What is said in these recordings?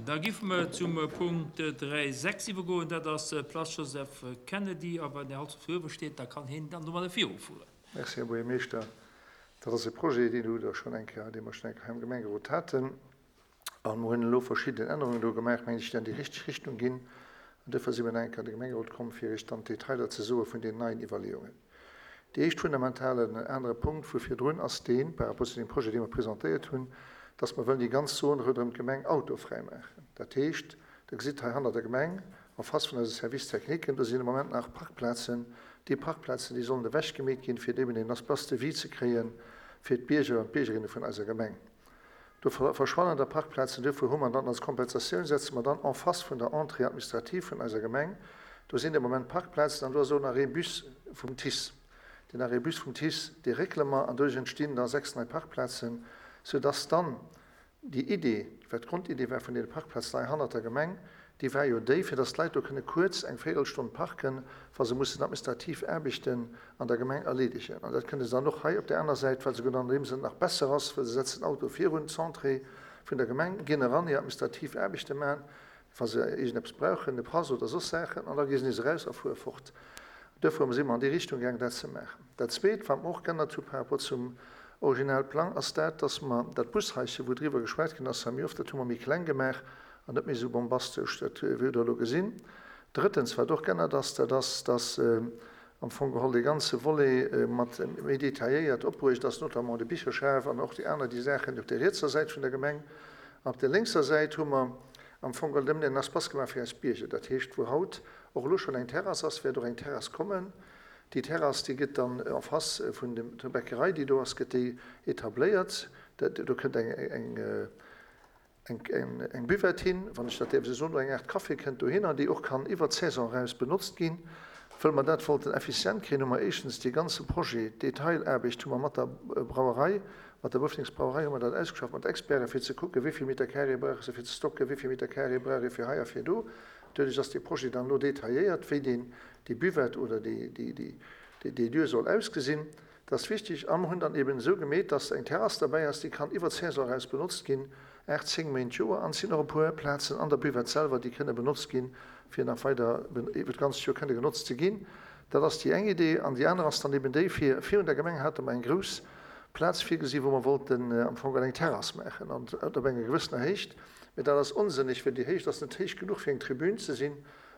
Da géife mer zum Punkt 3,6 iwwergoen. Dat ass d'Place Joseph Kennedy. A wann den Här Holzhoff do uewe steet, da kann hien dann domadder virufueren. Merci, Här Buergermeeschter. Dat ass e Projet, deen hutt Der schonn eng Kéier, dee mer schonn eng Kéier hei am Gemengerot haten. A mer hunn elo verschidden Ännerungen do gemaach, mengen ech, déi an déi richteg Richtung ginn. An duerfir si mer nach eng Kéier an de Gemengerot komm, fir Iech dann d'Detailer ze soe vun deenen neien Iwwerleeungen. Dee éischt fundamentalen anere Punkt vu virdrun ass deen, par rapport zu deem Projet, dee mer presentéiert hunn, dass mer wëllen déi ganz Zon ronderëm d'Gemeng autofräi maachen. Dat heescht, Der gesitt hei hanner der Gemeng, en face vun eise Service techniquen, do sinn de Moment nach Parkplazen. Déi Parkplazen, déi sollen ewechgemeet ginn, fir eben een Espace de vie ze kréie fir d'Bierger an d'Biergerinne vun eiser Gemeng. Do verschwannen da Parkplazen. Duerfir hu mer dann als Kompensatioun, setze mer dann en face vun der Entrée administrative vun eiser Gemeng, do sinn de Moment Parkplazen an do ass och en Arrêt bus vum TICE. Deen Arrêt bus vum TICE, dee réckele mer an doduerch entstinn da 6 nei Parkplazen, soudass dann Déi Idee, wat d'Grondidee war vun deene Parkplazen hei hannert der Gemeng, déi war jo déi, fir dass d'Leit do kënne kuerz eng Véirelstonn parken, wa se mussen administrativ Aarbechten an der Gemeng erleedegen. An dat kënne se dann och hei op där aner Säit, wat souguer an deem Sënn nach besser ass, well se setzen den Auto virun d'Entrée vun der Gemeng, ginn eran, hir administrativ Aarbechte maachen, wa se iergendeppes brauchen, e Pass oder soss Saachen, an da gi se nees eraus a fuere fort. Duerfir si mer an déi Richtung gaangen, dat ze maachen. Dat Zweet, wat mer och geännert hu par rapport zum Originalplang, ass dat, dass mer dat Bushaische, wou driwwer geschwat ginn ass hei méi oft, dat hu mer méi kleng gemaach an net méi esou bombastesch, dat hutt Der elo gesinn. Drëttens, wat och geännert ass, dat ass, dass am Fong geholl dee ganze Volet mat méi detailléiert opbruecht ass, notamment de Bicherschaf an och déi aner, déi Saachen op der rietser Säit vun der Gemeng. An op der lénkser Säit hu mer am Fong geholl nëmmen en Espace gemaach fir eis Bierger. Dat heescht, wou haut och elo schonn eng Terrass ass, wäert och eng Terrass kommen. Déi Terrass, déi gëtt dann en face vun der Bäckerei, déi do ass, gëtt déi etabléiert. Do kënnt eng, eng, eng Buvette hin, wann ech dat däerf esou soen, oder eng Aart Café kënnt dohinner, déi och kann iwwert d'Saison eraus benotzt ginn. Wëll mer dat wollten effizient kréien, hu mer éischtens dee ganze Projet, d'Detailaarbecht hu mer mat der Brauerei, mat der Boffdingsbrauerei hu mer dat ausgeschafft mat Experten, fir ze kucken, wéi vill Meter carré brauche se fir ze stocken, wéi vill Meter carré brauch ee fir hei a fir do. Doduerch ass dee Projet dann elo detailléiert, wéi deen, déi Buvette oder déi, déi, déi, déi Lieu soll ausgesinn. Dat ass wichtig. A mer hunn dann eben esou gemeet, dass eng Terrass derbäi ass, déi kann iwwer d'Saison eraus benotzt ginn, 8, 10 Méint d'Joer. An et sinn och e puer Plazen an der Buvette selwer, déi kënne benotzt ginn, fir nach weider iwwer d'ganzt Joer kënne genotzt ze ginn. Dat ass déi eng Idee. An déi aner ass dann eben déi, fir virun der Gemeng hate mer eng grouss Plaz virgesi wou mer wollten am Fong eng Terrass maachen an op enger gewëssener Héicht. Mee dat ass onsënneg, well déi Héicht ass net héich genuch fir eng Tribün ze sinn.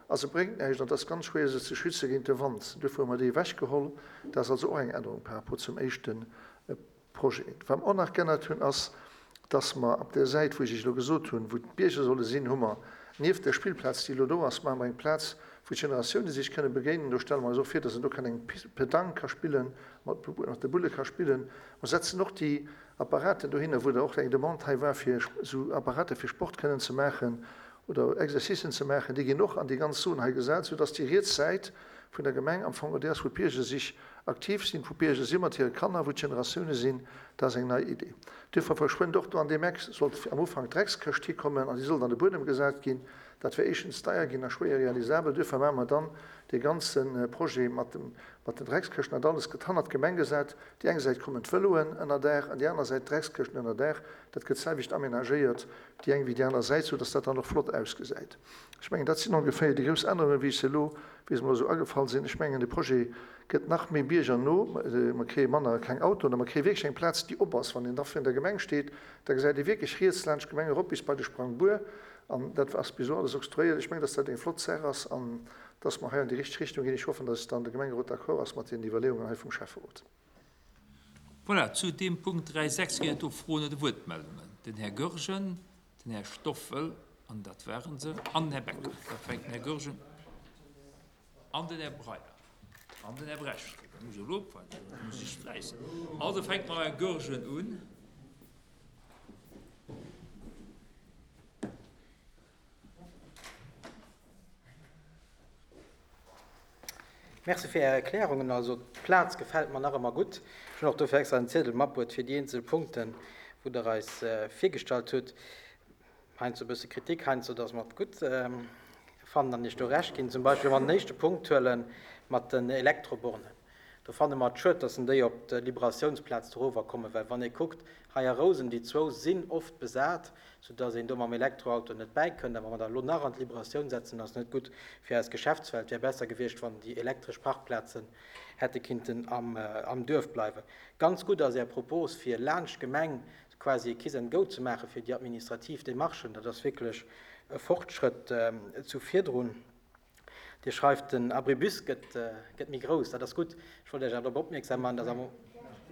A se bréngt näischt an et ass ganz schwéier se ze schütze géint de Wand. Duerfir hu mer déi ewechgeholl. Dat ass also och eng Ännerung par rapport zum éischte Projet. Wat mer och nach geännert hunn, ass, dass mer op där Säit, wou ech Iech elo gesot hunn, wou d'Bierger solle sinn, hu mer nieft der Spillplaz, déi elo do ass, maache mer eng Plaz, wou d'Generatioune sech kënne begéinen. Do stelle mer eis och vir, dass een do kann eng Petanque ka spillen, mat de Bulle ka spillen. Mer setzen och déi Apparaten dohinner, wou der och eng Demande hei war, fir esou Apparate fir Sport kënnen ze maachen oder Exercicen ze maachen, déi ginn och an déi ganz Zon hei gesat, soudass déi riets Säit vun der Gemeng am Fong déi ass, wou d'Bierger sich aktiv sinn, wou d'Bierger si mat hire Kanner, wou d'Generatioune sinn. Dat ass eng nei Idee. Duerfir verschwënnt och do an deem Eck, sollt am Ufank d'Dreckskëscht hikommen an déi sollt an de Buedem gesat ginn. Dat wär éischtens deier ginn a schwéier realisabel. Duerfir maache mer dann dee ganze Projet mat dem, mat den Dreckskëschten, dat alles gëtt hannert d'Gemeng gesat. Déi eng Säit kommen d'Vëloen ënner Daach an déi aner Säit d'Dreckskëschten ënner Daach. Dat gëtt d'selwecht amenagéiert, déi eng wéi déi aner Säit, sou dass dat dann och flott ausgesäit. Ech mengen, dat sinn ongeféier déi grouss Ännerungen, wéi ech se elo, wéi se mer elo esou agefall sinn. Ech mengen, de Projet gëtt nach méi biergerno. Mer kréie manner kleng Autoen a mer kréie wierklech eng Plaz, déi op ass. Wann een da virun der Gemeng steet, da gesäit ee wierklech riets laanscht d'Gemeng erop bis bei de Sprangbuer. An dat ass bis elo alles oktroyéiert. Ech mengen, dass dat eng flott Saach ass an dass mer hei an déi richteg Richtung ginn. Ech hoffen, dass dann de Gemengerot d'accord ass mat deenen Iwwerleeungen hei vum Schäfferot. Voilà, zu deem Punkt 3,6 ginn et do Froen oder Wuertmeldungen. Den Här Goergen, den Här Stoffel, an dat ware se, an den Här Becker. Da fänkt den Här Goergen an den Här Breyer an den Här Brecht. Da muss ech elo oppassen, da muss ech fläissen. Also fänke mer mam Här Goergen un. Merci fir Är Erklärungen. Also d'Plaz gefält mer nach ëmmer gutt. Ech hunn och dofir extra en Ziedel matbruet fir déi eenzel Punkten, wou Der eis virgestallt hutt. Heiansdo e bësse Kritik, heiansdo, dass mer et gutt fannen an Iech do Recht ginn. Zum Beispill, wa mer den éischte Punkt huele mat den Elektrobornen. Do fanne mer et schued, dass en déi op d'Liberatiounsplaz dorower kommen, well wann ee kuckt, hei a Rousen, déi zwou sinn oft besat, soudass een do mam Elektroauto net bäikënnt. A wa mer der elo nach an d'Liberatioun setzen, ass net gutt fir eis Geschäftswelt. Wär besser gewiescht, wann déi elektresch Parkplazen hätte kinnten am Duerf bleiwen. Ganz gutt ass Är Propos, fir laanscht d'Gemeng quasi e Kiss and Go ze maache fir déi administrativ Demarchen. Dat ass wierklech e Fortschrëtt zu virdrun. Dir schreift, den Abribus gëtt méi grouss. Dat ass gutt. Ech wollt Iech awer drop opmierksam maachen, dass am.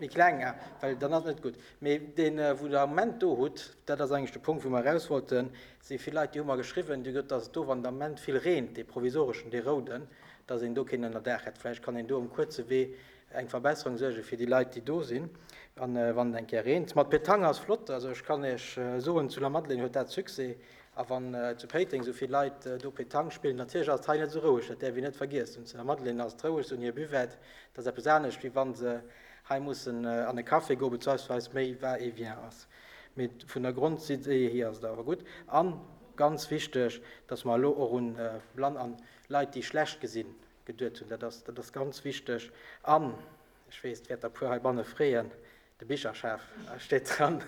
Méi kleng, ah, well dann ass et net gutt. Mee deen, wou Der am Moment do hutt, dat ass eigentlech de Punkt, wou mer eraus wollten, et si vill Leit, déi hu mer geschriwwen, déi hu gesot, dass et do, wann et am Moment vill reent, dee provisoreschen, dee rouden, dass een do keen Ënnerdaach hätt. Vläicht kann een do um kuerze Wee eng Verbesserung suerge fir déi Leit, déi do sinn, wann et eng Kéier reent. Mat Petanque ass flott. Also ech kann Iech soen, zu Lamadelaine huet dat Succès. A wann zu Péiteng esou vill Leit do Petanque spillen, natierlech ass et hei net esou roueg, dat däerf een net vergiessen. Zu der Madeleine ass et roueg, se hunn hir Buvette, dat ass eppes anescht, wéi wa se hei mussen an e Café goen, beziehungsweise méi Va-et-vient ass. Mee vun der Grondidee hier ass et awer gutt. A ganz wichteg, dass mer elo och un Blann an Leit, déi schlecht gesinn, geduet hunn. Dat ass, dat ass ganz wichteg. An ech weess, et wäert der e puer heibanne freeën, De Bicherschaf steet dran.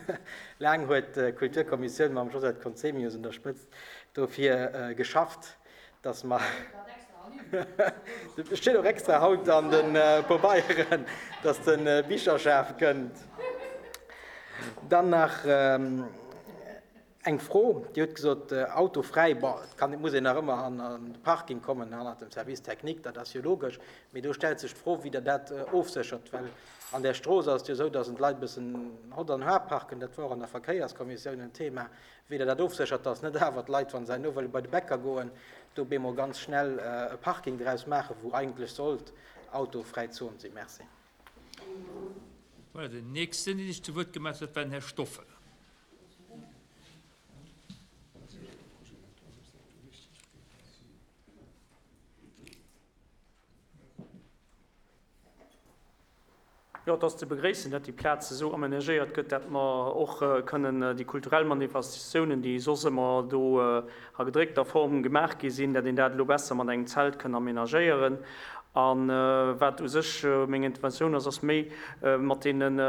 Laang huet d'Kulturkommissioun mam Josette Conzemius un der Spëtzt dofir geschafft, datt mer. Et steet och extra haut an de Pabeieren, datt de Bicherschaf kënnt. Dann nach. Eng Fro, Dir hutt gesot, autofräi, bon, et kann, et muss een nach ëmmer an de Parking kommen hannert dem Service technique, dat ass jo logesch, mee do stellt sech d'Fro, wéi Der dat ofséchert, well an där Strooss ass et jo esou, dass en d'Leit e bëssen hott an har parken, dat war och an der Verkéierskommissioun en Thema, wéi Der dat ofséchert, dass net awer d'Leit, wa se herno wëlle bei de Bäcker goen, do bemol ganz schnell e Parking draus maachen, wou eigentlech sollt autofräi Zon sinn. Merci. Voilà, den nächsten, dee sech zu Wuert gemellt huet, war den Här Stoffel. Jo, et ass ze begréissen, dat déi Plaz esou amenagéiert gëtt, dat mer och kënnen déi kulturell Manifestatiounen, déi soss ëmmer do a gedréckter Form gemaach gi sinn, dat een dat elo besser mat engem Zelt kënn amenagéieren. A wat u sech meng Interventioun ass, ass méi mat deenen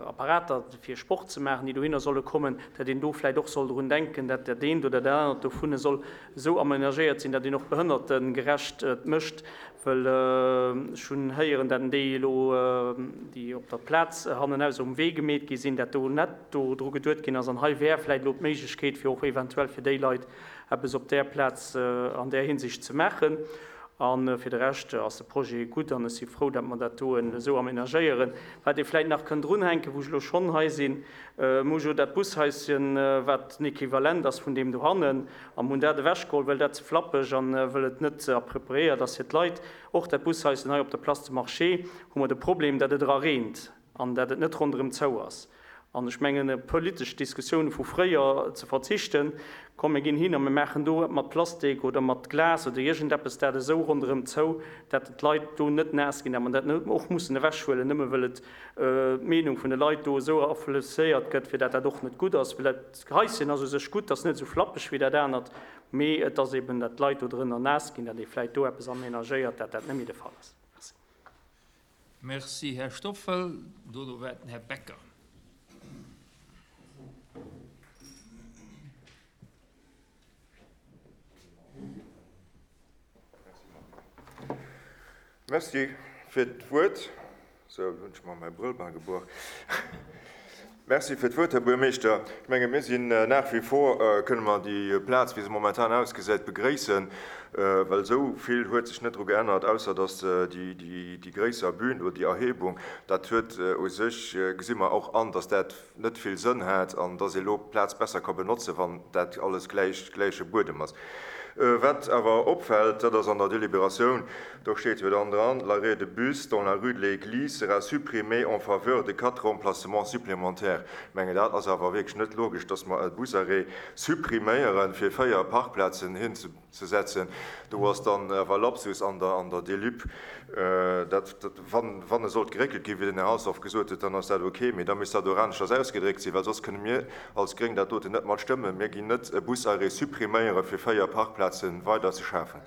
Apparater fir Sport ze maachen, déi dohinner solle kommen, dat een do vläicht och soll drun denken, dat dat eent oder dat anert dovun soll esou amenagéiert sinn, dat een och behënnertegerecht et mécht, wëll ech hunn héieren, dat en déi elo, déi op der Plaz hannenaus um Wee gemeet gi sinn, dat do net do dru geduet ginn ass. An hei wär vläicht elo d'Méiglechkeet, fir och eventuell fir déi Leit eppes op där Plaz an där Hinsicht ze maachen. A fir de Rescht ass de Projet gutt an ech si frou, datt mer dat do esou amenagéieren. Wat ee vläicht nach kënn drunhänken, wou ech elo schonn hei sinn, Mir hu jo dat Bushaischen, wat den Equivalent ass vun deem dohannen, a mir hunn dat ewechgeholl, well dat ze flappeg an wëll et net appropriéiert ass fir d'Leit. Och dat Bushaischen hei op der Place de Marché hu mer de Problem, datt et era reent an datt et net ronderëm zou ass. An ech mengen, op politesch Diskussioune vu fréier ze verzichten, komm mir ginn hin a mir maachen do mat Plastik oder mat Glas oder iergendeppes dat esou ronderëm zou, dat d'Leit do net naass ginn, dat mer dat net och mussen ewechhuelen, nëmme wëll et d'Meenung vun de Leit do esou aflosséiert gëtt, fir dat dat och net gutt ass. Well dat Haischen ass u sech gutt, ass net esou flappeg wéi dat anert, mee et ass eben, dat d'Leit do drënner naass ginn, dat ee vläicht do eppes amenagéiert, dat dat net méi de Fall ass. Merci. Merci, Här Stoffel. Dono war et den Här Becker. Merci fir d'Wuert. Sou, elo hunn ech mer mäi Brëll bal gebuach. Merci fir d'Wuert, Här Buergermeeschter. Ech menge mir sinn nach wie vor, kënne mer déi Plaz, wéi se momentan ausgesäit, begréissen, well esou vill huet sech net dru geännert, ausser datt déi gréisser Bühn oder déi Erhebung, dat huet u sech, gesi mer och an, datt dat net vill Sënn hat an datt ee lo d'Plaz besser ka benotzen, wann dat alles gläich, gläiche Buedem ass. Wat awer opfält, dat ass an der Deliberatioun, do steet jo dann dran, L'arrêt de bus dans la rue de l'Église sera supprimé en faveur de quatre remplacements supplémentaires. Ech mengen, dat ass awer wierklech net logesch, dass mer e Busarrêt suppriméieren, fir 4 Parkplazen hinzesetzen. Do ass dann awer Lapsus an der, an der Delib. Dat, wann, wann e sollt geréckelt ginn, wéi den Här Halsdorf gesot huet, dann ass dat ok, mee da misst dat och aneschters ausgedréckt sinn, well soss kënne mir als Gréng dat doten net mat stëmmen. Mir ginn net e Busarrêt suppriméieren, fir 4 Parkplaze weider ze schafen.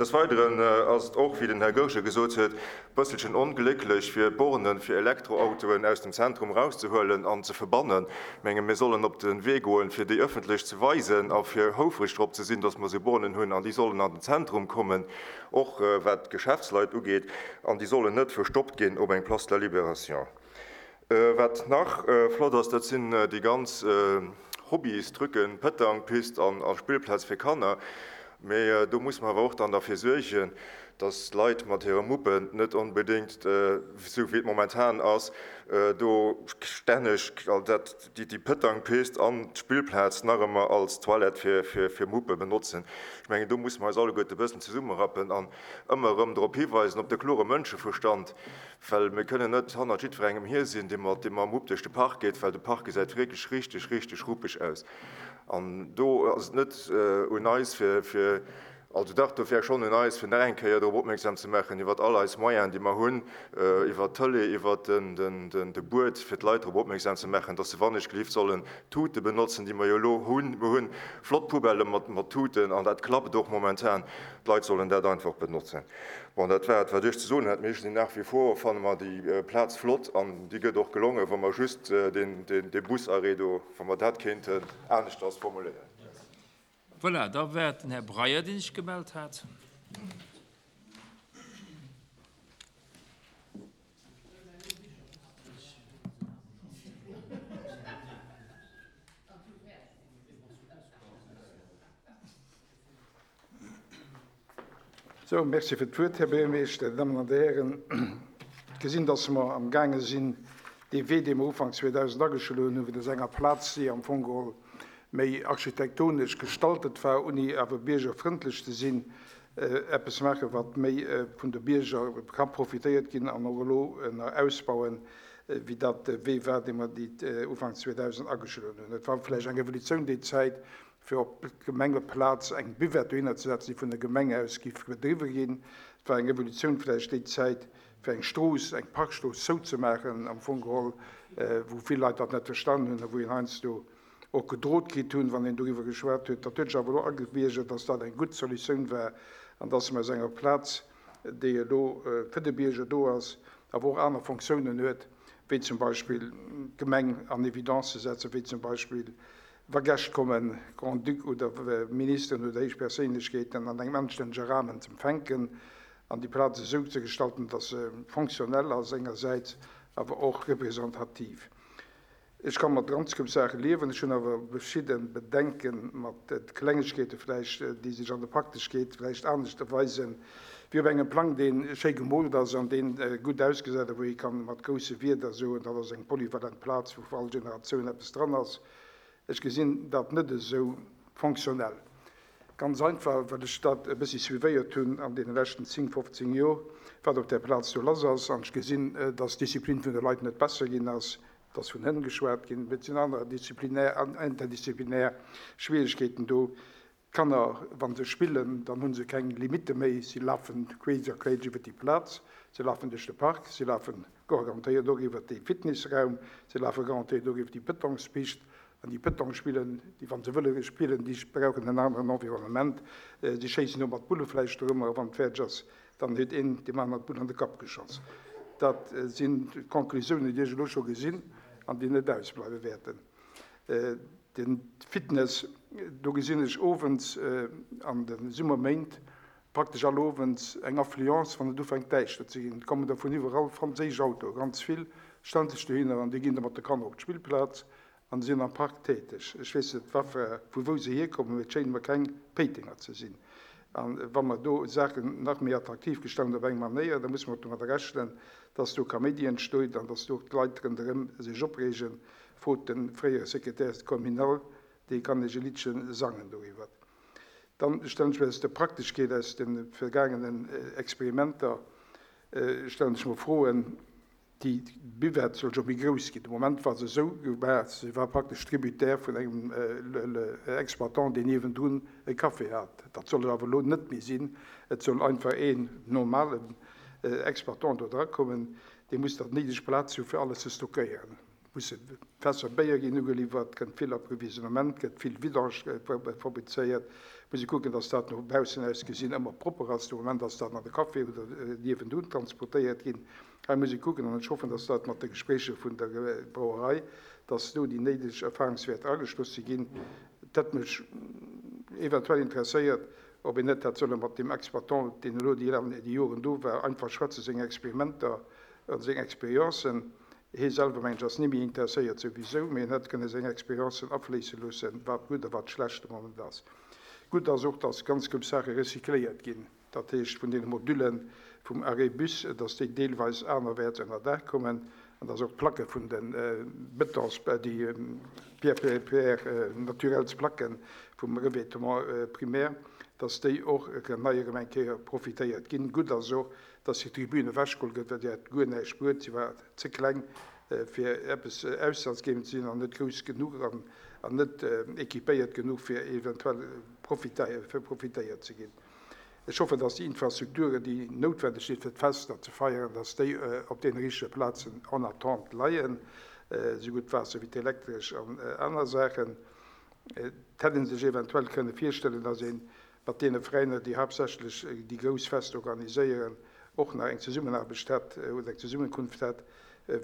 Des Weideren ass et och, wéi den Här Goergen gesot huet, e bësselchen onglécklech, fir Borne fir Elektroautoen aus dem Zentrum erauszehuelen an ze verbannen. Ech menge mir sollen op de Wee goen, fir déi ëffentlech ze weisen a fir houfreg drop ze sinn, dass mer esou Bornen hunn an déi sollen an den Zentrum kommen, och wat d'Geschäftsleit ugeet, an déi sollen net verstoppt ginn op eng Place de la Libération. Wat nach flott ass, dat sinn déi ganz Hobbystrucken, Pëtangpist an Spillplaz fir Kanner. Mee do muss mer awer och dann derfir suergen, dass d'Leit mat hire Muppen net onbedéngt, esou wéi et momentan ass, do stänneg déi Pëtangpist an d'Spillplaz nach ëmmer als Toilette fir Muppe benotzen. Ech mengen, do musse mer eis alleguerte e bëssen zesummerappen an ëmmer erëm drop hiweisen, op de klore Mënscheverstand, Well mir kënnen net hannert jiddwerengem hier sinn, dee mat deem mam Mupp duerch de Park geet, well de Park gesäit wierklech richteg, richteg ruppeg aus. An do ass et net un eis, fir, fir, also dach, do wär schonn un eis, fir nach eng Kéier drop opmierksam ze maachen, iwwert all eis Moyenen, déi mer hunn, iwwert d'Tëlee, iwwert den, den, de Buet, fir d'Leit drop opmierksam ze maachen, dass se wannechgelift sollen d'Tute benotzen, déi mer jo elo hunn. Mer hunn flott Poubellë mat, mat Tuten an dat klappt och momentan. D'Leit sollen dat einfach benotzen. Bon, dat war et, wat ech ze soen hat. Mir sinn nach wie vor, fanne mer déi Plaz flott an déi gëtt och gelongen, wa mer just dee Busarrêt do, wa mer dat kéinten aneschters formuléieren. Voilà, da war et den Här Breyer, dee sech gemellt hat. Sou, Merci fir d'Wuert, Här Buergermeeschter, Dir Dammen an Dir Hären. Et gesinn, dass mer amgaange sinn, dee Wee, dee mer Ufank 2000 ageschloen hunn, wou dass enger Plaz, déi am Fong geholl méi architektonesch gestaltet war, ouni awer biergerfrëndlech ze sinn, eppes maachen, wat méi vun de Bierger ka profitéiert ginn an och elo nach ausbauen, wéi dat de Wee war, dee mer déi Ufank 2000 ageschloen hunn. Et war vläicht eng Revolutioun déi Zäit, fir op d'Gemengeplaz eng Buvette dohinner ze setzen, déi vun der Gemeng aus géif bedriwwe ginn. Et war eng Revolutioun vläicht déi Zäit, fir eng Strooss, eng Parkstrooss zouzemaachen, am Fong geholl, wou vill Leit dat net verstanen hunn a wou een heiansdo och gedrot kritt hunn, wann een doriwwer geschwat huet. Dat huet sech awer elo agebiergert, dass dat eng gutt Solutioun war an dass mer aus enger Plaz, déi elo fir de Bierger do ass, awer och aner Fonctiounen huet, wéi zum Beispill d'Gemeng an Evidence ze setzen, wéi zum Beispill Wa Gäscht kommen, Grand-Duc oder Ministeren oder héich Perséinlechkeeten an engem anstännege Rahmen z'empfänken an déi Plaz esou ze gestalten, dass se fonctionnel ass engersäits, awer och representativ. Ech ka mat ganz grouss Saache liewen, ech hunn awer verschidde Bedenke mat Klengegkeete vläicht, déi sech an der Prakteschkeet vläicht anescht erweisen, wéi op engem Plang, dee schéi gemoolt ass an dee gutt ausgesäit a wou ee ka mat grousse Wierder soen, dat ass eng polyvalent Plaz, wou fir all Generatioun eppes dran ass. Ech gesinn dat net esou fonctionnel. Ganz einfach, well ech dat e bëssi suivéiert hunn an deene leschten 10, 15 Jor, wat op där Plaz do lass ass. An ech gesinn, dass d'Disziplin vun de Leit net besser ginn ass. Et ass vun Hënn geschwat ginn, mee et sinn aner disziplinär an interdisziplinär Schwierigkeeten do. D'Kanner, wa se spillen, dann hu se keng Limitte méi. Si lafen queesch a queesch iwwer déi Plaz, se lafen duerch de Park, se lafe garantéiert och iwwer dee Fitnessraum, se lafe garantéiert och iwwer déi Pëtongspist. An déi Pëtong spillen, déi, wa se wëlle spillen, déi brauchen en aneren Environnement. Si schéissen do mat Bulle vläicht dorëmmer a wann et fäerdeg ass, dann huet een deem aneren d'Bull an de Kapp geschoss. Dat sinn d'Conclusiounen, déi ech elo scho gesinn an déi net ausbleiwe wäerten. De Fitness, do gesinn ech owends an de Summerméint praktesch all Owends eng Affluence, wann et ufänkt däischter ze ginn. Et kommen der vun iwwerall franséisch Autoe, ganz vill, stellen sech dohinner an déi ginn da mat de Kanner op d'Spillplaz an sinn am Park täteg. Ech weess net vu wou se hierkommen, mee et schéine mer keng Péitenger ze sinn. A wa mer do Saachen nach méi attraktiv gestalten op eng Manéier, da musse mer och domadder rechnen, dass do Kaméidi entstoit an dass do och d'Leit ronderëm sech opreegen, Frot de fréiere Secrétaire communal, dee kann Iech e Liddche sangen doriwwer. Dann stellen ech mir aus der Prakteschkeet, aus de vergaangenen Experimenter, stellen ech mer Froen, Déi Buvette soll jo méi grouss ginn. De Moment war se esou gemaach, se war praktesch tributaire vun engem Exploitant, deen niewendrun e Café hat. Dat soll et awer elo net méi sinn. Et soll einfach een normalen Exploitant do drakommen, dee muss dann d'néideg Plaz hu fir alles ze stockéieren. Musse Fässer Béier ginn ugeliwwert, kënnt vill Approvisionnement, gëtt vill Vidange fabrizéiert. Muss ee kucken, dass dat no baussen aus gesinn ëmmer propper ass. De Moment ass dat an de Café oder niewendun transportéiert ginn. Hei muss ee kucken, an ech hoffen, dass dat mat de Gespréicher vun der Brauerei, dass do déi néideg Erfahrungswäerter ageschloss si ginn. Et hätt mech eventuell interesséiert, ob een net hätt solle mat deem Exploitant, deen elo déi Joren do war, einfach schwätzen, seng Experimenter a seng Experiencen. Hie selwer, mengen ech, ass ni méi interesséiert souwisou, mee en hätt kënne seng Experiencen afléisse loossen, wat gutt a wat schlecht de Moment ass. Gutt ass och, dass ganz grouss Saache recycléiert ginn, dat heescht vun deene Modülle vum Arrêt bus, dass déi deelweis anerwäerts ënner Daach kommen an dass och d'Placke vun de Betons, déi Pierre, pierre naturelles Placken vum Revêtement primaire, dass déi och nei erëm eng Kéier profitéiert ginn. Gutt ass och, dass déi Tribün ewechgeholl gëtt, well déi hat guer näischt bruet, si war ze kleng fir eppes ausschlaggebend ze sinn an net grouss genuch an net équipéiert genuch fir eventuell profitéiert ze ginn. Ech hoffen, dass déi Infrastrukturen, déi noutwendeg sinn fir d'Fester ze feieren, dass déi op deene richtege Plazen en attente leien, esougutt d'Waasser wéi d'Elektresch an aner Saachen. Et hätt ee sech eventuell kënne virstellen, dass ee mat deene Veräiner, déi haaptsächlech déi grouss Fester organiséieren, och nach eng Zesummenaarbecht hätt oder eng Zesummekunft hätt,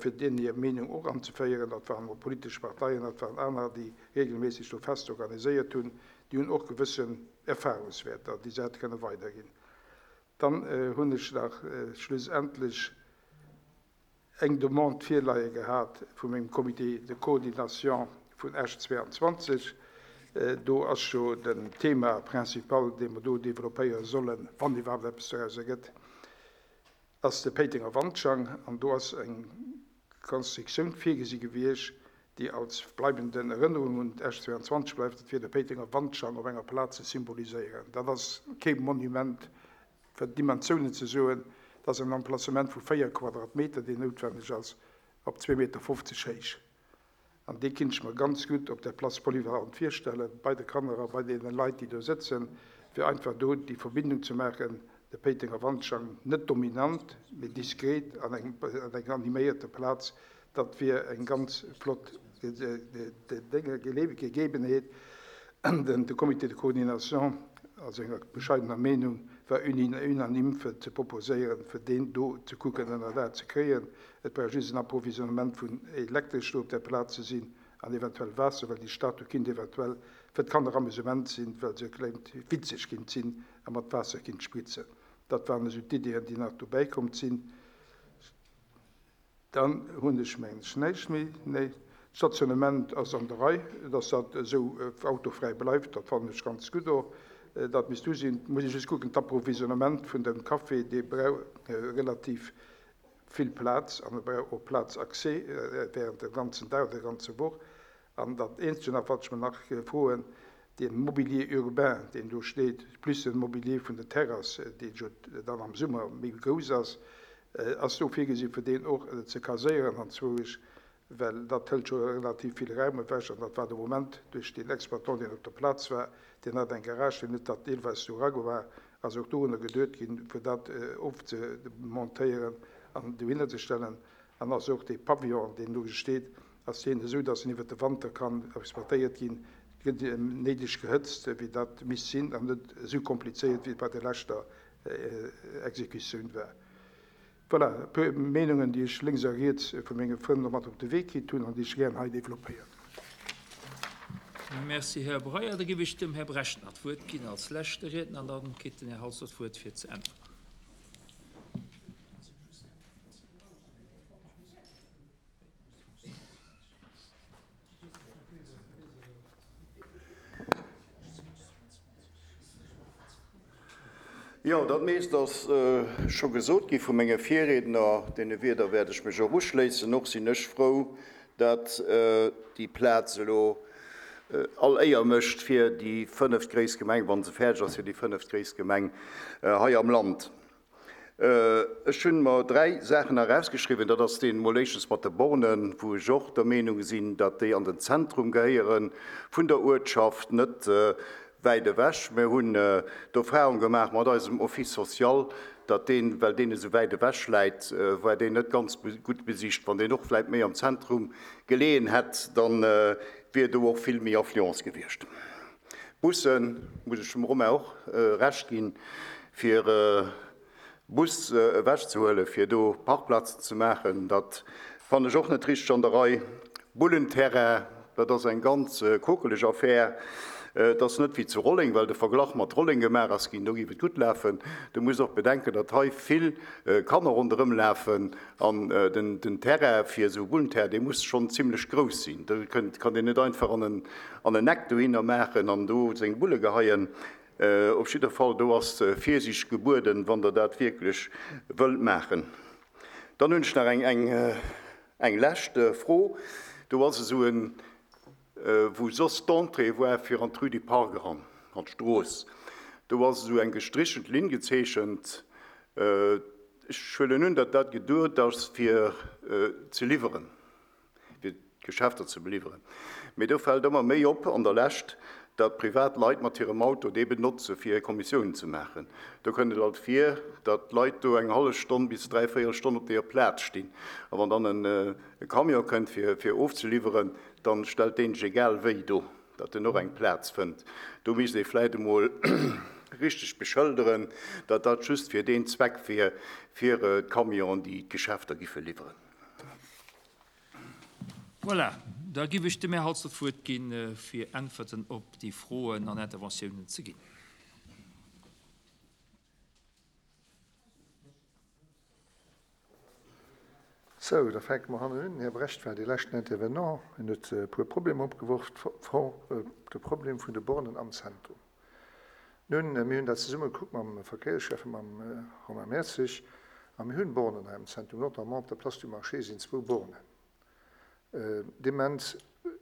fir deenen hir Meenung och anzeféieren. Dat waren och politesch Parteien, dat waren aner, déi regelméisseg do Fester organiséiert hunn. Déi hunn och gewëssen Erfahrungswäerter, déi se hätte kënne weiderginn. Dann hunn ech nach schlussendlech eng Demande virleie gehat vu mengem Comité de coordination vun Esch 22. Do ass jo den Thema principal, dee mer do développéiere sollen, wann iwwerhaapt eppes doraus ergëtt, ass de Péitenger Wandschang. An do ass eng Konstruktioun virgesi gewiescht, déi als bleibenden Erënnerung un d'Esch 22 bleift. Dat wier de Péitenger Wandschang op enger Plaz ze symboliséieren. Dat ass kee Monument Fir d'Dimensiounen ze soen, dat ass en Emplacement vu 4 Quadratmeter, deen noutwenneg ass, op 2,50 Meter héich. An dee kinnt ech mer ganz gutt op der Place polyvalente virstellen, bei de Kanner a bei deene Leit, déi do sëtzen, fir einfach do déi Verbindung ze maachen, de Péitenger Wandschang, net dominant, mee diskret an enger animéierter Plaz, Dat wier eng ganz flott Gegebenheet. De Comité de coordination, a senger bescheidener Meenung, war unanime fir ze proposéieren, fir deen do ze kucken ënner Daach ze kréien. Et brauch just en Approvisionnement vun Elektresch do op där Plaz ze sinn an eventuell Waasser, well déi Statue kinnt eventuell fir d'Kanner Amusement sinn, well se klengt witzeg kinnt sinn a mat Waasser kinnt spritzen. Dat waren esou d'Iddien, déi nach dobäi komm sinn. Dann hunn ech, mengen ech, näischt méi. Nee, d'Stationnement ass an der Rei, dass dat esou autofräi bleift, dat fannen ech ganz gutt och. Dat misst du sinn. Muss ech just kucken, d'Approvisionnement vun dem Café, dee brauch relativ vill Plaz an e brauch och Plaz accès während dem ganzen Dag oder der ganzer Woch. An dat Eenzege nach, wat ech mer nach froen, dee Mobilier urbain, deen do steet, plus de Mobilier vun der Terrass, dee jo dann am Summer méi grouss ass, ass do virgesinn, fir deen och ze kaséieren anzwousch, well dat hëlt scho relativ vill Raum ewech. An dat war de Moment duerch deen Exploitant, deen op der Plaz war, deen hat eng Garage, deen huet dat deelweis do eragemaach, ass och dorunner geduet ginn, fir dat ofzemontéieren an dohinner ze stellen. An ass och dee Pavillon, deen do steet, ass deen esou, datt en iwwert de Wanter kann exploitéiert ginn, gëtt néideg gehëtzt, wéi dat misst sinn, an net esou komplizéiert, wéi et bei der leschter Exekutioun war. Voilà, e puer Meenungen, déi ech lénks a riets vu menge Frënn mat op de Wee kritt hunn an déi ech gären hei développéieren. Merci, Här Breyer. Da géif ech dem Här Brecht nach d'Wuert ginn als leschte Riedner an da kritt den Här Halsdorf d'Wuert fir ze äntweren. Jo, dat meescht ass scho gesot gi vu menge Virriedner. Deene Wierder wäert ech mech och uschléissen. Och sinn ech frou, datt déi Plaz elo all Éier mécht fir déi fënneftgréisst Gemeng, wa se fäerdeg ass, fir déi fënneftgréisst Gemeng hei am Land. Ech hunn mer 3 Saachen erausgeschriwwen. Dat ass deen emol éischtens mat de Bornen, wou ech och der Meenung sinn, datt déi an den Zentrum gehéiere vun der Uertschaft, net. wäit ewech. Mir hunn d'Erfahrung gemaach mat eisem Office social, datt deen, well deen esou wäit ewech läit, war deen net ganz gutt besicht. Wann deen och vläicht méi am Zentrum geleeën hätt, da wier do och vill méi Affluence gewiescht. Bussen, muss ech dem Romain och Recht ginn, fir Bus ewechzehuelen, fir do Parkplazen ze maachen, dat fannen ech och net richteg an der Rei. Bullenterrain, dat ass eng ganz quokeleg Affär. Et ass net wéi zu Rolleng, well de Verglach mat Rolleng gemaach ass ginn, do géif et gutt lafen. Du muss och bedenken, datt hei vill Kanner ronderëm lafen an den Terrain fir esou e Bullenterrain, dee muss schonn zimlech grouss sinn. Do kann een net einfach an en Eck dohinner maachen an do seng Bulle geheien. Op jidder Fall, do ass Virsiicht gebueden, wann Der dat wierklech wëllt maachen. Dann hunn ech nach eng lescht Fro. Do ass esou en, wou soss d'Entrée war fir an d'Rue du Parc eran, an d'Strooss, do ass esou eng gestrichelt Linn gezeechent. Ech huelen un, datt dat geduet ass fir ze liwweren. fir d'Geschäfter ze beliwweren. Mee do fält ëmmer méi op an der Lescht, datt privat Leit mat hirem Auto dee benotze fir hir Kommissiounen ze maachen. Do kënnt et alt vir, datt Leit do eng hallef Stonn bis dräivéierel Stonn op deeër Plaz stinn. A wann dann e Camion kënnt fir fir ofzeliwweren, da stellt deen sech egal wéi do, datt en och eng Plaz fënnt. Do misst ee vläit emol richteg beschëlderen, datt dat just fir deen Zweck wier, fir d'Camionen, déi d'Geschäfter giffe liwweren. Voilà, da giff ech dem Här Halsdorf d'Wuert ginn, fir Äntwerten op déi Froen an Interventiounen ze ginn. Sou, da fänke mer hannen un. Den Här Brecht war dee leschten Intervenant. En huet e puer Problemer opgeworf, de Problem vun de Bornen am Zentrum. Nun, mir hunn dat zesumme gekuckt mam Verkéiersschäffen, mam Romain Mertzig, a mir hunn Bornen hei am Zentrum, notamment op der Place du Marché sinn zwou Bornen. Dee Moment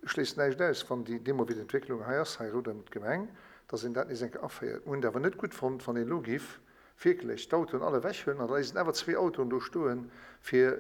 schléisst näischt aus, wann déi deemno wéi d'Entwécklung hei ass, hei ronderëm d'Gemeng, dass een dat nees eng Kéier aféiert. Mir hunn et awer net gutt fonnt, wann een elo giff wierklech d'Autoen all ewechhuelen an da léisst een awer zwee Autoen do stoe fir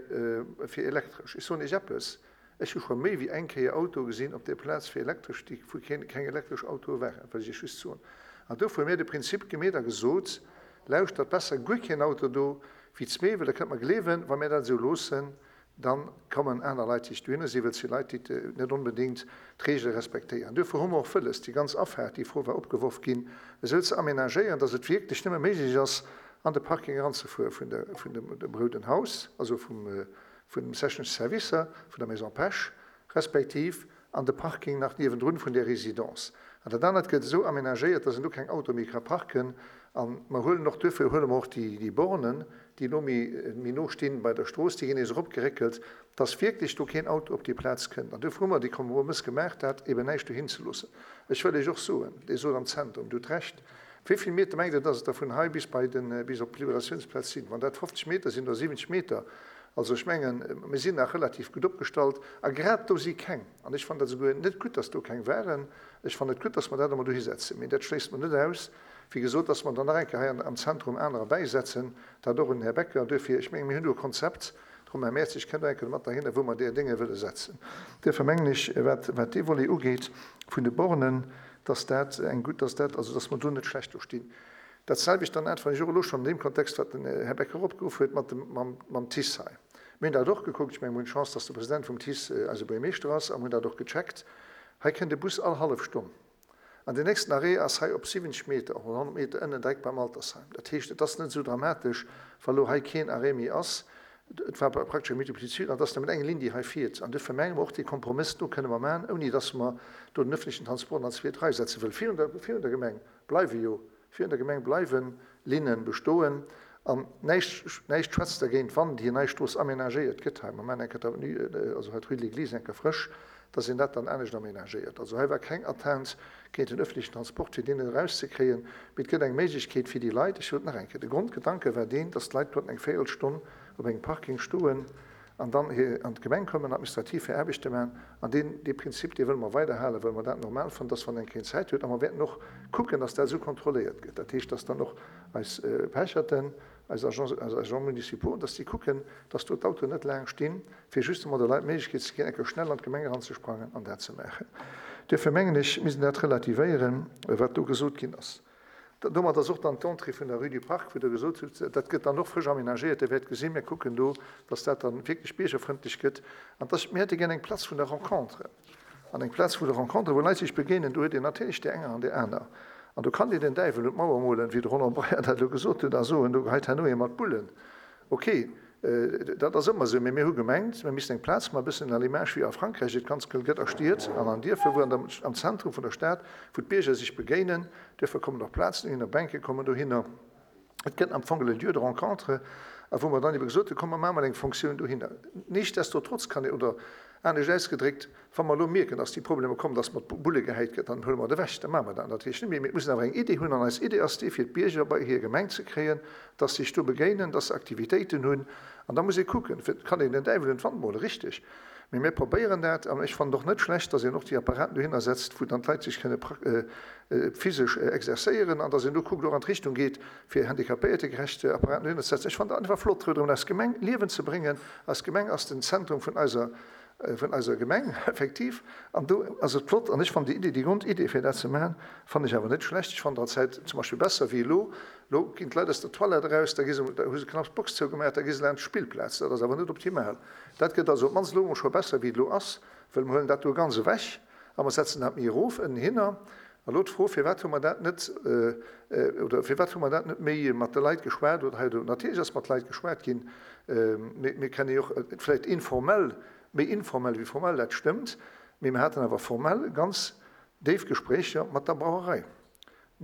fir elektresch. Ech soen Iech eppes, Ech hu scho méi wéi eng Kéier Autoe gesinn op där Plaz fir elektresch, déi wou keng elektresch Autoe waren, wëll ech Iech just soen. An dofir hu mir de Prinzip gemeet a gesot, Lauschtert, besser guer keen Auto do wéi zwee, well Der kënnt mer gleewen, wa mir dat esou loossen, da kommen aner Leit, déi sech dohinner sinn, well et si Leit, déi net onbedéngt d'Reegele respektéieren. Duerfir hu mer och wëlles, déi ganz Afaart, déi Fro war opgeworf ginn, esou ze aménagéieren, dass et wierklech nëmme méiglech ass, an de Parking eranzefuere vun dem Rouden Haus, also vum vun den technesche Servicer vun der Maison Pesch, respektiv an de Parking nach niewendrun vun där Résidence. An dat anert gëtt esou aménagéiert, dass een do keng Autoe méi ka parken. A mer huelen och, duerfir huele mer och déi Bornen, déi elo méi no stinn bei der Strooss, déi ginn nees eropgeréckelt, dass wierklech do keen Auto op déi Plaz kënnt. An duerfir hu mer dee Kompromëss gemaach, dat eben näischt dohin ze loossen. Ech wëll Iech och soen, Dir sot am Zentrum, Dir hutt Recht, Wéi vill Meter mengt Der, dass et der vun hei bis bei den, bis op d'Liberatiounsplaz sinn? Wann dat 50 Meter sinn oder 70 Meter, also ech mengen, mir sinn nach relativ gutt opgestallt a grad do si keng. An ech fannen dat esouguer net gutt, dass do keng waren. Ech fannen et gutt, dass mer dat emol dohi setzen, mee dat schléisst mer net aus, wéi gesot, dass mer dann nach eng Kéier hei am Zentrum anerer bäisetzen. Dat och un den Här Becker. Duerfir, ech mengen, mir hunn do e Konzept, de Romain Mertzig kënnt och eng Kéier mat derhinner, wou mer där Dénge wëlle setzen. Duerfir mengen ech, wat, wat dee Volet ugeet vun de Bornen, dass dat eng gutt, dass dat, also dass mer do net schlecht do stinn. Dat selwecht dann äntweren ech och elo schonn an deem Kontext, wat den Här Becker opgeruff huet mat dem, mam, mam TICE hei. Mir hunn dat och gekuckt. Ech mengen, mir hunn d'Chance, dass de President vum TICE eise Buergermeeschter ass a mir hunn dat och gecheckt. Hei kënnt e Bus all hallef Stonn. An deen nächsten Arrêt ass hei op 70 Meter, oder 100 Meter ënnen direkt beim Altersheim. Dat heescht, et ass net esou dramatesch, wa lo hei keen Arrêt méi ass. Et war praktesch eng Multiplitude an et ass nëmmen eng Linn, déi hei fiert. An duerfir menge mer och, dee Kompromëss do kënne mer maachen, ouni dass mer do den öffentlichen Transport an d'zweet Rei setzen, wëll virun der, virun der Gemeng bleiwe jo, virun der Gemeng bleiwe Linne bestoen. An näischt, näischt schwätzt dergéint, wann déi nei Strooss aménagéiert gëtt hei, mer maachen eng Kéier d'Avenue, also hei d'Rue de l'Église eng Kéier frësch, dass een dat dann anescht aménagéiert. Also hei war keng Atteinte géint den öffentlichen Transport, fir deen erauszekréien, mee et gëtt eng Méiglechkeet fir déi Leit, ech soen et nach eng Kéier, de Grondgedanke war deen, dass d'Leit konnten eng Véierelstonn op engem Parking stoen an dann an d'Gemeng kommen, administrativ hir Aarbechte maachen. An deen, dee Prinzip, dee wëlle mer weiderhalen, well mer dat normal fannen, dass wann eng keng Zäit huet, a mer wäerten och kucken, dass dat esou kontrolléiert gëtt, dat heescht, dass dann och eis Pecherten, eis Agents, eis Agents municipaux, dass déi kucken, dass do d'Autoen net laang stinn, fir justement de Leit d'Méiglechkeet ze ginn, eng Kéier schnell an d'Gemeng eranzesprangen an dat ze maachen. Duerfir mengen ech, misst een dat relativéieren, wat do gesot ginn ass. Domat ass och dann d'Entrée vun der Rue du Parc, wou Der gesot hutt, dat gëtt dann och frësch aménagéiert. Dir wäert gesinn, mir kucken do, dass dat dann wierklech biergerfrëndlech gëtt. An dass, mir hätte gär eng Place vun der Rencontre. An eng Plaz vun der Rencontre, wou Leit sech begéinen, do huet een natierlech déi enger an déi aner. An do kann Dir den Däiwel un d'Mauer molen, wéi de Roland Breyer dat elo gesot huet, a soen, do geheit herno ee mat Bullen. Ok, dat ass ëmmer esou, mee mir hu gemengt, mir missten eng Plaz maachen, e bëssen à l'image wéi a Frankräich et ganz gëll gëtt a Stied an an Dierfer, wou an der, am Zentrum vun der Stad, wou d'Bierger sech begéinen. Duerfir kommen och Plazen dohinner, Bänke kommen dohinner. Et gëtt am Fong e Lieu de rencontre, a wou mer dann ebe gesot hunn, komm mer maache mol eng Fonctioun dohinner. Nichtsdestotrotz kann een, oder anescht ausgedréckt, wa mer elo mierken, dass déi Problemer kommen, dass mat Bulle gehäit gëtt, dann huele mer et ewech, da maache mer dat natierlech net méi. Mee et muss een awer eng Idee hunn, an eis Idee ass déi, fir d'Bierger bei hir Gemeng ze kréien, dass se sech do begéinen, dass se Aktivitéiten hunn. An da muss ee kucken, fir et kann een den Däiwel un d'Wand molen, richteg, mee mir probéieren dat. An ech fannen et och net schlecht, dass een och déi Apparaten dohinner setzt, wou dann d'Leit sech kënne physesch exerzéieren, an dass een do kuckt, och an d'Richtung geet, fir handicapéiertegerecht Apparaten dohinner ze setzen. Ech fannen dat einfach flott, ronderëm eis Gemeng Liewen ze bréngen. Eis Gemeng ass den Zentrum vun eiser, vun eiser Gemeng, effektiv, an do ass et flott. An ech fannen déi Idee, déi Grondidee, fir dat ze maachen, fannen ech awer net schlecht. Ech fannen der Zäit zum Beispill besser wéi elo. Elo ginn d'Leit aus der Toilette eraus, da gi se, da hu se knapps d'Box zougemaach, da gi se laanscht d'Spillplaz. Dat ass awer net optimal. Dat gëtt also op d'mannst elo emol scho besser, wéi et elo ass, well mer huelen dat do ganz ewech a mer setzen dat méi erof ënnenhinner. A lo d'Fro, Firwat hu mer dat net, oder firwat hu mer dat net méi mat de Leit geschwat oder hei oder do? Natierlech ass mat Leit geschwat ginn. Mir, mir kennen jo och, vläicht informell, méi informell wéi formell, dat stëmmt, mee mir haten awer formell ganz déif Gespréicher mat der Brauerei.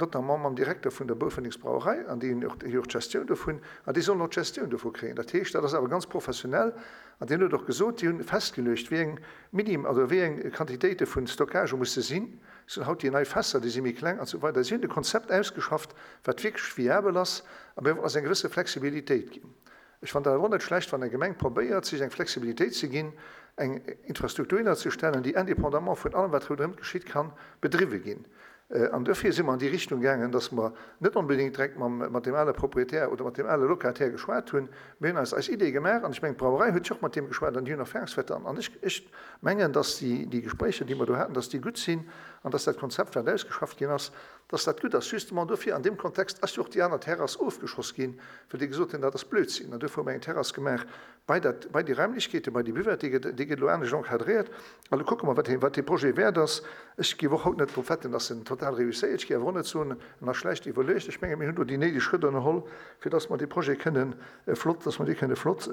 notamment mam Direkter vun der Boufendingsbrauerei, an déi hunn och déi och d'Gestioun dovun, an déi sollen och d'Gestioun dovu kréien. Dat heescht, dat ass awer ganz professionell, an deen huet och gesot, déi hunn festgeluecht, wéi eng Minim also wéi eng Quantitéite vun Stockage musse sinn. Et sinn haut déi nei Fässer, déi si méi kleng an esou weider. Si hunn e Konzept ausgeschafft, wat wierklech viabel ass, a mir wollen eis eng gewësse Flexibilitéit ginn. Ech fannen dat awer och net schlecht, wann eng Gemeng probéiert, sech eng Flexibilitéit ze ginn, eng Infrastruktur hinnerzestellen, déi indépendamment vun allem, wat ronderëm geschitt, ka bedriwwe ginn. An duerfir si mer an déi Richtung gaangen, dass mer net onbedéngt direkt mam, mat deem ale Proprietär oder mat deem ale Locataire geschwat hunn. Mir hunn eis eis Ideeë gemaach an ech mengen, d'Brauerei huet jo och mat deem geschwat an déi hunn Erfahrungswäerter. An ech, ech mengen, dass déi, déi Gespréicher, déi mer do haten, dass déi gutt sinn an dass dat Konzept, wat ausgeschafft ginn ass, dass dat gutt ass. Justement dofir, an deem Kontext ass jo och déi aner Terrass ofgeschoss ginn, well déi gesot hunn, dat ass Blödsinn. An duerfir hu mer eng Terrass gemaach bei dat, bei déi Raimlechkeeten, bei déi Buvette, déi gëtt, déi gëtt elo anescht encadréiert. A lo kucke mer, wat dee, wat dee Projet wäert ass. Ech géif och haut net drop wetten, dass en total réusséiert. Ech géif awer och net soen, en ass schlecht iwwerluecht. Ech menge mir hunn do déi néideg Schrëtt ënnerholl, fir dass mer dee Projet kënnen flott, dass mer dee kënne flott,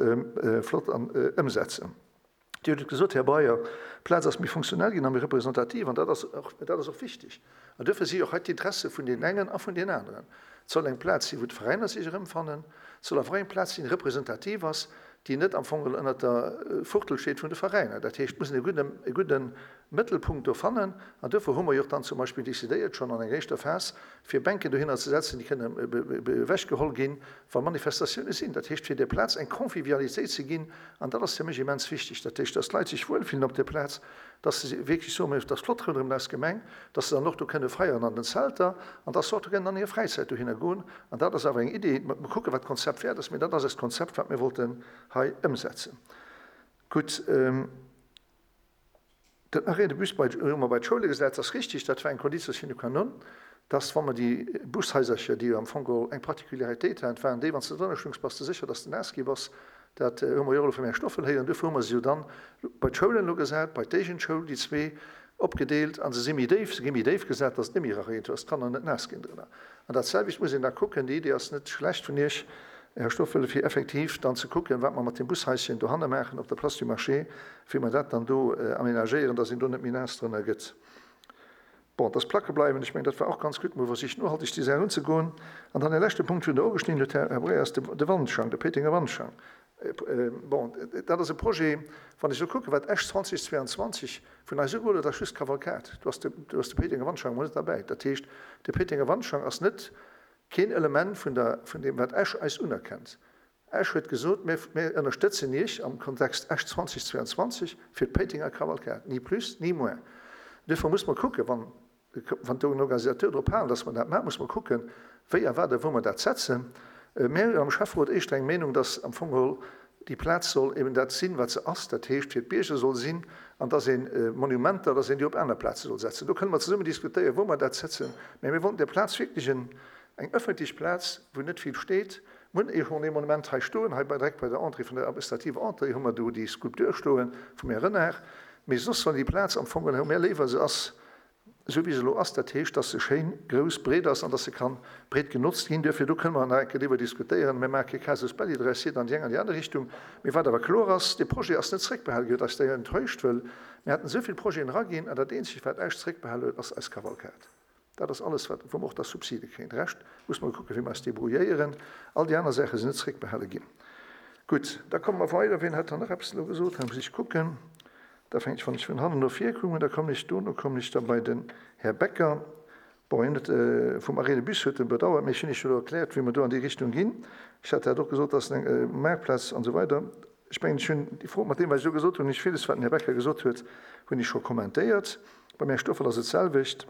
flott an ëmsetzen. Dir hutt et gesot, Här Breyer, d'Plaz ass méi funktionell ginn a méi representativ, an dat ass och, dat ass och wichtig. An duerfir si och hei d'Interesse vun deenen engen a vun deenen aneren. Et soll eng Plaz sinn, wou d'Veräiner sech erëmfannen. Et soll awer och eng Plaz sinn, déi representativ ass, déi net am Fong geholl ënnert der Fuchtel steet vun de Veräiner. Dat heescht, et muss een e gudden, e gudde Mëttelpunkt do fannen. An duerfir hu mer jo och dann zum Beispill decidéiert, schonn an enger éischter Phas, fir Bänken dohinner ze setzen, déi kënnen ewechgeholl ginn, wa Manifestatioune sinn. Dat heescht, fir där Plaz eng Convivialitéit ze ginn. An dat ass fir mech immens wichteg. Dat heescht, dass d'Leit sech wuelfillen op där Plaz, dass se wierklech soen, et ass flott ronderëm eis Gemeng, dass se dann och do kënne feieren an den Zelter an dass se och do kënnen an hir Fräizäit dohinner goen. An dat ass awer eng Idee. Mer kucken, wat d'Konzept wäert ass, mee dat ass eist Konzept, wat mir wollten hei ëmsetzen. Gutt. Den Arrêt de bus bei, hu mer bei d'Schoule gesat, ass richtig, dat war eng Conditio sine qua non, dass, wa mer déi Bushaisercher, déi jo am Fong geholl eng Particularitéit haten, waren déi, wann s de drënner stungs, bass de sécher, dass de naass gi bass. Dat hu mer jo och elo vum Här Stoffel héieren. Duerfir hu mer se jo dann bei d'Schoulen elo gesat, bei d'Éigendschoul, déi zwee opgedeelt, a se si méi déif, se gi méi déif gesat, dass et net méi erareent, dass d'Kanner net naass ginn drënner. An dat selwecht muss een da kucken, déi Idee ass net schlecht vun Iech, Här Stoffel, fir effektiv dann ze kucken, wat mer mat deem Bushaischen dohanne maachen op der Place du Marché, wéi mer dat dann do aménagéieren, dass een do net méi naass drënner gëtt. Bon, dass d'Placke bleiwen, ech mengen, dat war och ganz gutt, mol versicht nohalteg déi Saach unzegoen. An dann e leschte Punkt, wou Der ugeschnidden hutt, Här Breyer, ass de Wandschank, de Péitenger Wandschank. Bon, dat ass e Projet, wann ech elo kucken, wat Esch 2022 vun eis ugeholl huet, ass just d'Kavalkad. Do ass de, do ass de Péitenger Wandschank emol net derbäi. Dat heescht, de Péitenger Wandschank ass net keen Element vun der, vun deem, wat Esch eis unerkennt. Esch huet gesot, mir, mir ënnerstëtzen Iech am Kontext Esch 2022 fir d'Péitenger Kavalkad, ni plus, ni moins. Duerfir muss mer kucken, wann Wann den Organisateur drop halen, dass mer dat maachen, muss mer kucken, wéi a wat a wou mer dat setzen. Mir hunn am Schäfferot éischter eng Meenung, dass am Fong geholl. Déi Plaz soll eben dat sinn, wat se ass, dat heescht fir d'Bierger soll sinn, an dass een Monumenter, dass een déi op aner Plaze soll setzen. Do kënne mer zesummen diskutéieren, wou mer dat setzen, mä mir wollten där Plaz wierklech en, eng öffentlech Plaz, wou net vill steet. Mir hunn schonn ee Monument hei stoen, hei bei, direkt bei der Entrée vun der administrativer Entrée hu mer do déi Skulptur stoe vum Här Renard, mee soss soll déi Plaz am Fong, hu mir léiwer se ass esou wéi se elo ass, dat heescht, dass se schéin grouss, breet ass an dass se kann breet genotzt ginn. Duerfir, do kënne mer nach eng Kéier driwwer diskutéieren. Mir maache kee Casus belli draus, jidder an déi eng an déi aner Richtung. Mee wat awer kloer ass, Dee Projet ass net zréckbehale ginn, huet eis d'ailleurs enttäuscht, wëll mir haten esou vill Projeten eraginn an dat eenzegt, wat Esch zréckbehale huet, ass eis Kavalkad. Dat ass alles, wat, wou mer och da Subside kréien. De Rescht muss mer kucken, wéi mer eis débrouilléieren. All déi aner Saache sinn net zréckbehale ginn. Gutt, da komme mer weider. Wien hat dann nach eppes elo gesot? Hei muss ech kucken. Da fänkt ech, wann ech vun hannen no vir kommen, da kommen ech dono kommen ech da bei den Här Becker. Bon, hien huet vum Arrêt de bus huet en bedauert, mee ech hunn Iech jo elo erkläert, wéi mer do an déi Richtung ginn. Ech hat dat och gesot, dass eng Maartplaz an esou weider. Ech mengen, ech hunn déi Fro, mat deem, wat ech elo gesot hunn, hunn ech villes, wat den Här Becker gesot huet, hunn ech scho kommentéiert. Beim Här Stoffel ass et d'selwecht.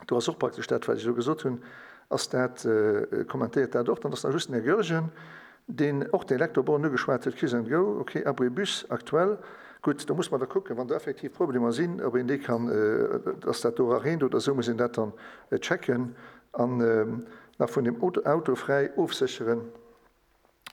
Do ass och praktesch dat, wat ech elo gesot hunn, ass dat, kommentéiert dat och. Dann ass nach just den Här Goergen, deen och den Elektroborn ugeschwat huet, Kiss and Go, okay, Abri Bus aktuell. Gutt, do muss mer da kucken, wann do effektiv Problemer sinn, ob een déi kann, dass dat do erareent oder esou, muss een dat dann checken an nach vun dem Auto fräi ofsécheren.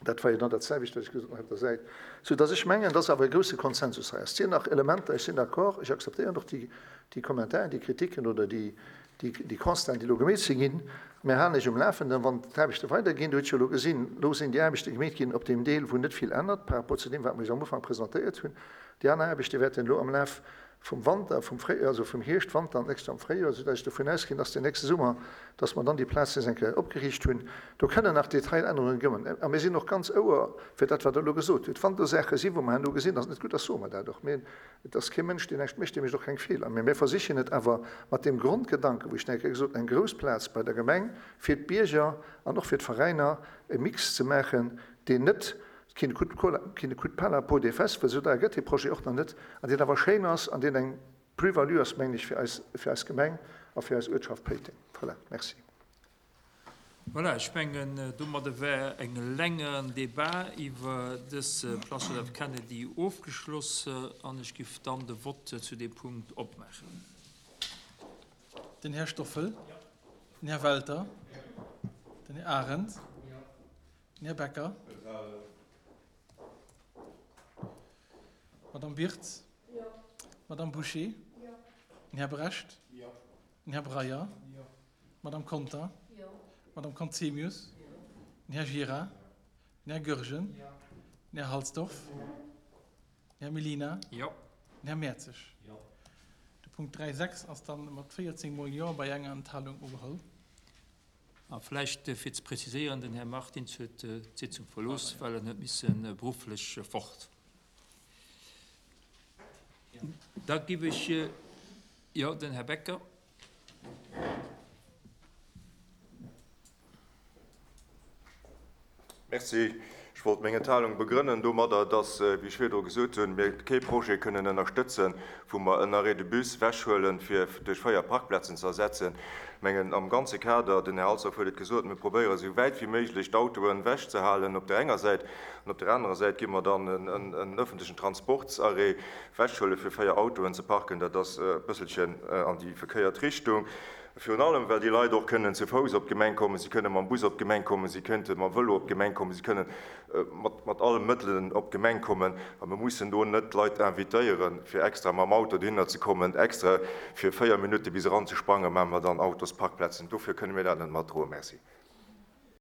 Dat war jo dann dat selwecht, wat ech gesot hunn hei op der Säit. Soudass ech mengen, dass awer e grousse Konsensus hei ass. Et sinn nach Elementer, ech sinn d'accord, ech akzeptéieren och déi, déi Kommentaren, déi Kritiken oder déi, déi, déi Constaten, déi elo gemeet si ginn. Mir halen Iech um Lafenden, wann d'Aarbechte weiderginn. Dir hutt jo elo gesinn, elo sinn déi Aarbechte gemeet ginn op deem Deel, wou net vill ännert par rapport zu deem, wat mer Iech am Ufank presentéiert hunn. Déi aner Aarbechte wäerten elo am Laf vum Wanter, vum Fréi, also vum Hierscht, Wanter an d'nächst Joer am Fréijoer, soudatt ech dovun ausginn, dass den nächste Summer, dass mer dann déi Plaz nees eng Kéier opgeriicht hunn. Do kënnen nach Detailännerunge kommen. A mir sinn och ganz ouer fir dat, wat Der elo gesot hutt. Wann do Saache sinn, wou mer herno gesinn, dass et net gutt ass, soe mer dat och. Mee et ass kee Mënsch, deen näischt mécht, dee mécht och keng Feeler. Mee mir versichen et awer mat deem Grondgedanken, wou ech nach eng Kéier gesot hunn, eng grouss Plaz bei der Gemeng fir d'Bierger an och fir d'Veräiner, e Mix ze maachen, deen net Qui ne coûte qui ne coûte pas la peau des fesses, well esou deier gëtt dee Projet och nach net, an deen awer schéin ass an deen eng Plus-value ass, mengen ech, fir eis, fir eis Gemeng a fir eis Uertschaft Péiteng. Voilà, merci. Voilà, ech mengen, domadde war eng längeren Débat iwwer dës Place John F. Kennedy ofgeschloss an ech giff dann de Vote zu deem Punkt opmaachen. Den Här Stoffel. Den Här Welter. Den Här Arendt. Den Här Becker. D'Madame Birtz. D'Madame Bouché. Den Här Brecht. Den Här Breyer. D'Madame Conter. D'Madame Conzemius. Den Här Gira. Den Här Goergen. Den Här Halsdorf. Den Här Mellina. Den Här Mertzig. De Punkt 3.6 ass dann mat 14 mol Jo bei enger Enthalung ugeholl. A vläicht fir ze preziséieren, Den Här Martins huet d'Sitzung verlooss, well en huet misse berufflech fort. Da giff ech, jo, den Här Becker. Merci. Ech wollt meng Enthalung begrënnen domadder, dass, wéi ech virdru gesot hunn, mir kee Projet kënnen ënnerstëtzen, wou mer en Arrêt de bus ewechhuelen, fir duerch 4 Parkplazen ze ersetzen. Ech mengen, am ganze Kader, den Här Halsdorf huet et gesot, mir probéiere esou wäit wéi méiglech d'Autoen ewechzehalen op där enger Säit, an op där anerer Säit gi mer dann en öffentlechen Transportsarrêt ewechhuele fir 4 Autoen ze parken. Dat ass e bësselchen an déi verkéiert Richtung. Virun allem, well déi Leit och kënnen zu Fouss op d'Gemeng kommen, si kënnen mam Bus op d'Gemeng kommen, si kënnte mam Vëlo op d'Gemeng kommen, si kënnen mat alle Mëttelen op d'Gemeng kommen. A mir mussen do net d'Leit invitéieren, fir extra mam Auto dohinner ze kommen, extra fir 4 Minutte bis eran ze sprangen, maache mer dann Autosparkplätzen. Dofir kënne mir dat net matdroen. Merci.